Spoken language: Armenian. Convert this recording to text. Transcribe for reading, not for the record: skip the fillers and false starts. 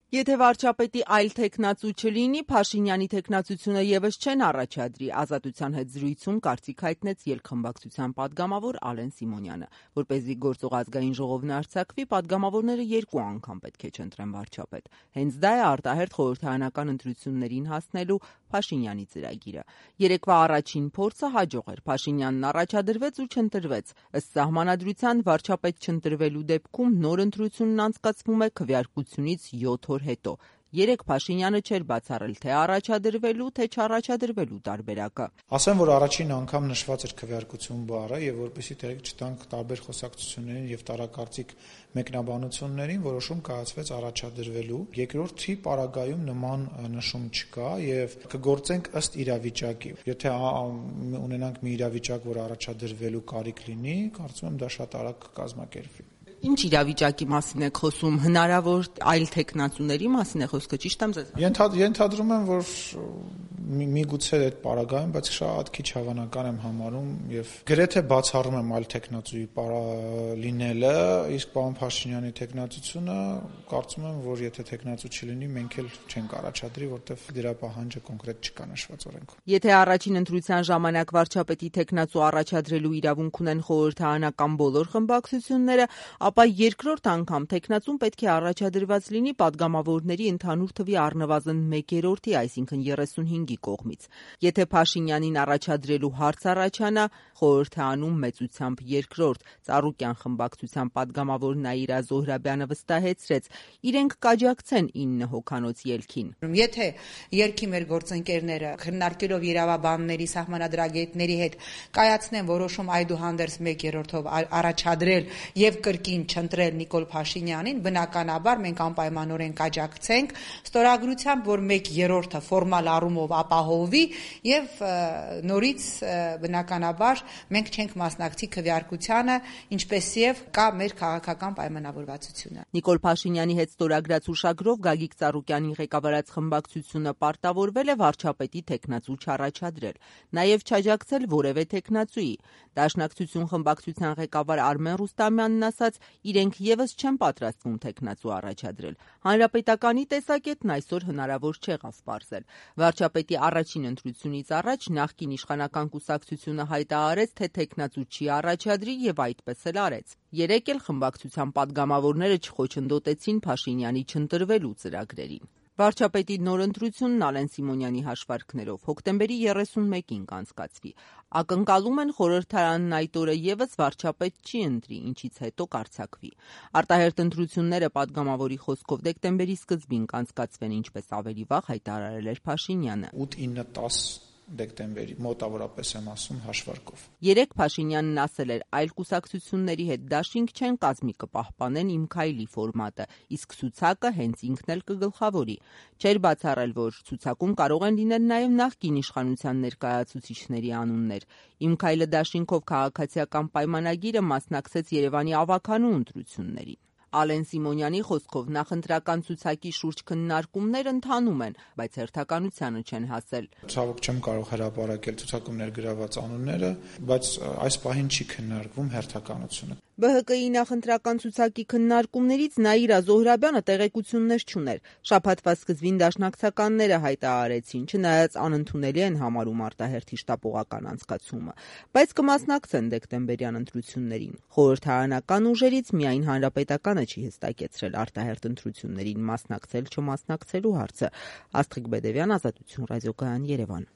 Եթե վարչապետի այլ թեկնածու չլինի, Փաշինյանի թեկնածությունը ևս չեն առաջադրի, Ազատության հետ զրույցում կարծիք հայտնեց երկխմբակցության падգամավոր Ալեն Սիմոնյանը։ Որպեսզի գործող ազգային ժողովն արձակվի, падգամավորները 2 անգամ պետք է չընտրեն վարչապետ։ Հենց դա է արտահերթ խորհրդարանական ընտրություններին հասնելու Փաշինյանի ծրագիրը։ Երեկվա առաջին փորձը հաջող էր։ Փաշինյանն առաջադրվեց ու չընտրվեց։ Ըստ սահմանադրության վարչապետ չընտրվելու դեպքում նոր ընտրությունն անցկացվում է քվեարկությունից 7 օր հետո։ Երեկ Փաշինյանը չէր բացառել թե առաջադրվելու, թե չառաջադրվելու տարբերակը։ Ասեմ, որ առաջին անգամ նշված էր քվեարկություն բառը, եւ որպեսզի տեղիք չտանք տարբեր խոսակցություններին եւ տարակարծիք մեկնաբանություններին, որոշում կայացվեց առաջադրվելու։ Երկրորդի պարագայում նման նշում չկա եւ կգործենք ըստ իրավիճակի։ Եթե ունենանք մի իրավիճակ, որ առաջադրվելու կարիք լինի, կարծում եմ դա շատ արագ կկազմակերպվի։ Ինչ իրավիճակի մասին եք խոսում, հնարավոր այլ թեկնածուների մասին է խոսքը, ճիշտ եմ ձեզ։ Ենթադրում եմ, որ միգուցե այդ պարագայում, բայց շատ քիչ հավանական եմ համարում եւ գրեթե բացառում եմ այլ թեկնածուի լինելը, իսկ պարոն Փաշինյանի թեկնածությունը կարծում եմ, որ եթե թեկնածու չլինի, մենք էլ չենք առաջադրի, որտեղ դրա պահանջը կոնկրետ չկա նշված օրենքում։ Եթե առաջին ընտրության ժամանակ վարչապետի թեկնածու առաջադրելու իրավունք ունեն խորհրդարանական բոլոր խմբակցությունները, ապա երկրորդ անգամ թեկնածուն պետք է առաջադրված լինի падգամավորների ընդհանուր թվի առնվազն 1/3-ի, այսինքն 35-ի կողմից։ Եթե Փաշինյանին առաջադրելու հարց առաջանա, խորհրդարանում մեծությամբ երկրորդ Ծառուկյան խմբակցության падգամավոր Նաիրա Զոհրաբյանը վստահեցրեց, իրենք կաջակցեն 9 հոգանոց ելքին։ Եթե երկի մեր գործընկերները քննարկելով իրավաբանների, սահմանադրագետների հետ կայացնեն որոշում այդուհանդերձ 1/3-ով առաջադրել եւ կրկին չընտրել Նիկոլ Փաշինյանին, բնականաբար մենք անպայմանորեն կաջակցենք ստորագրությամբ, որ 1/3-ը ֆորմալ առումով ապահովվի եւ նորից բնականաբար մենք չենք մասնակցի քվեարկությանը, ինչպեսև կա մեր քաղաքական պայմանավորվածությունը։ Նիկոլ Փաշինյանի հետ ստորագրած հուշագրով Գագիկ Ծառուկյանի ղեկավարած խմբակցությունը պարտավորվել է վարչապետի թեկնածու չառաջադրել, նաեւ չաջակցել որևէ թեկնածուի։ Դաշնակցություն խմբակցության ղեկավար Արմեն Ռուստամյանն ասաց, իրենք ևս չեն պատրաստվում թեկնածու առաջադրել։ Հանրապետականի տեսակետն այսօր հնարավոր չեղավ պարզել։ Վարչապետի առաջին ընտրությունից առաջ նախկին իշխանական կուսակցությունը հայտարարեց, թե թեկնածու չի առաջադրի եւ այդպես էլ արեց։ Երեկ էլ խմբակցության падգամավորները չխոչընդոտեցին Փաշինյանի չընտրվելու ծրագրերին։ Վարչապետի նոր ընտրությունն Ալեն Սիմոնյանի հաշվարկներով հոկտեմբերի 31-ին կանցկացվի։ Ակնկալում են խորհրդարանն այդ օրը ևս վարչապետ չի ընտրի, ինչից հետո կարձակվի։ Արտահերթ ընտրությունները падգամավորի խոսքով դեկտեմբերի սկզբին կանցկացվեն, ինչպես ավելի վաղ հայտարարել էր Փաշինյանը։ 8-9-10 դեկտեմբերի մոտավորապես եմ ասում հաշվարկով։ Երեկ Փաշինյանն ասել էր, այլ կուսակցությունների հետ դաշինք չեն կազմի, կպահպանեն Իմ քայլի ֆորմատը, իսկ ցուցակը հենց ինքն էլ կգլխավորի։ Չէր բացառել, որ ցուցակում կարող են լինել նաև նախկին իշխանության ներկայացուցիչների անուններ։ Իմ քայլը դաշինքով քաղաքացիական պայմանագիրը մասնակցեց Երևանի ավականու ընտրություններին։ Ալեն Սիմոնյանի խոսքով նախընտրական ցուցակի շուրջ քննարկումներ ընթանում են, բայց հերթականությանը չեն հասել։ Ցավոք չեմ կարող հրապարակել ցուցակում ներգրաված անունները, բայց այս պահին չի քննարկվում հերթականությունը։ ԲՀԿ-ի նախընտրական ցուցակի քննարկումներից Նաիրա Զոհրաբյանը տեղեկություններ չուներ։ Շաբաթվա սկզբին դաշնակցականները հայտարարեցին, չնայած անընդունելի են համարում արտահերթի շտապողական անցկացումը, բայց կմասնակցեն դեկտեմբերյան ընտրություններին։ Խորհրդարանական ուժերից միայն Հանրապետականը չի հստակեցրել արտահերթ ընտրություններին մասնակցել-չմասնակցելու հարցը։ Աստղիկ Բեդևյան, Ազատություն ռադիոկայան, Երևան։